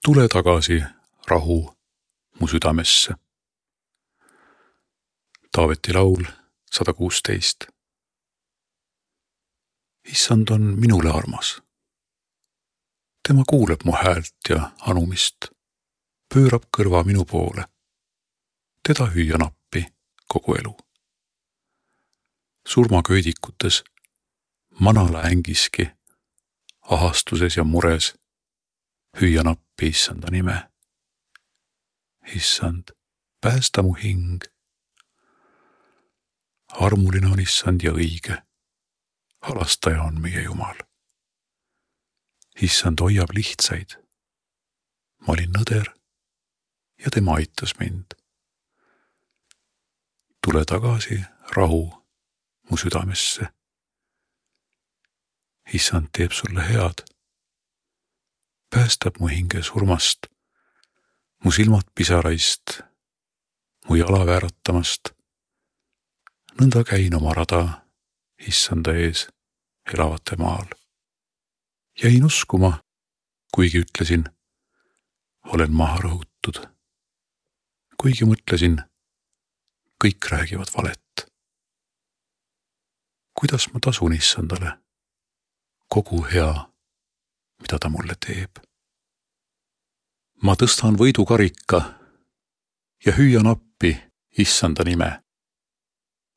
Tule tagasi, rahu, mu südamesse. Taaveti laul 116. Issand on minule armas. Tema kuuleb mu häält ja anumist, pöörab kõrva minu poole. Teda hüüan appi kogu elu. Surmaköidikutes, manala ängiski, ahastuses ja mures, hüüan appi Issanda nime. Issand, päästa mu hing. Armuline on Issand ja õige. Halastaja on meie Jumal. Issand hoiab lihtsaid. Ma olin nõder ja tema aitas mind. Tule tagasi, rahu, mu südamesse. Issand teeb sulle head. Päästab mu hinge surmast, mu silmad pisaraist, mu jala vääratamast. Nõnda käin oma rada Issanda ees elavate maal. Jäin uskuma, kuigi ütlesin, olen maha rõhutud. Kuigi mõtlesin, kõik räägivad valet. Kuidas ma tasun Issandale kogu hea, mida ta mulle teeb? Ma tõstan võidukarika ja hüüan appi Issanda nime.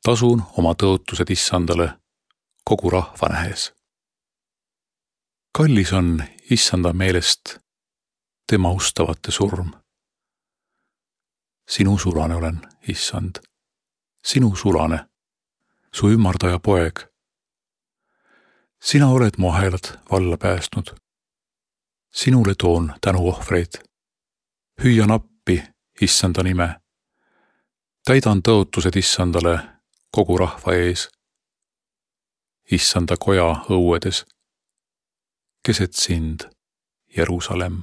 Tasun oma tõotused Issandale kogu rahva nähes. Kallis on Issanda meelest tema ustavate surm. Sinu sulane olen, Issand, sinu sulane, su ümardaja poeg. Sina oled mu hääled valla päästnud. Sinule toon tänuohvreid. Hüüan appi Issanda nime. Täidan tõotused Issandale kogu rahva ees. Issanda koja õuedes, keset sind, Jeruusalemm.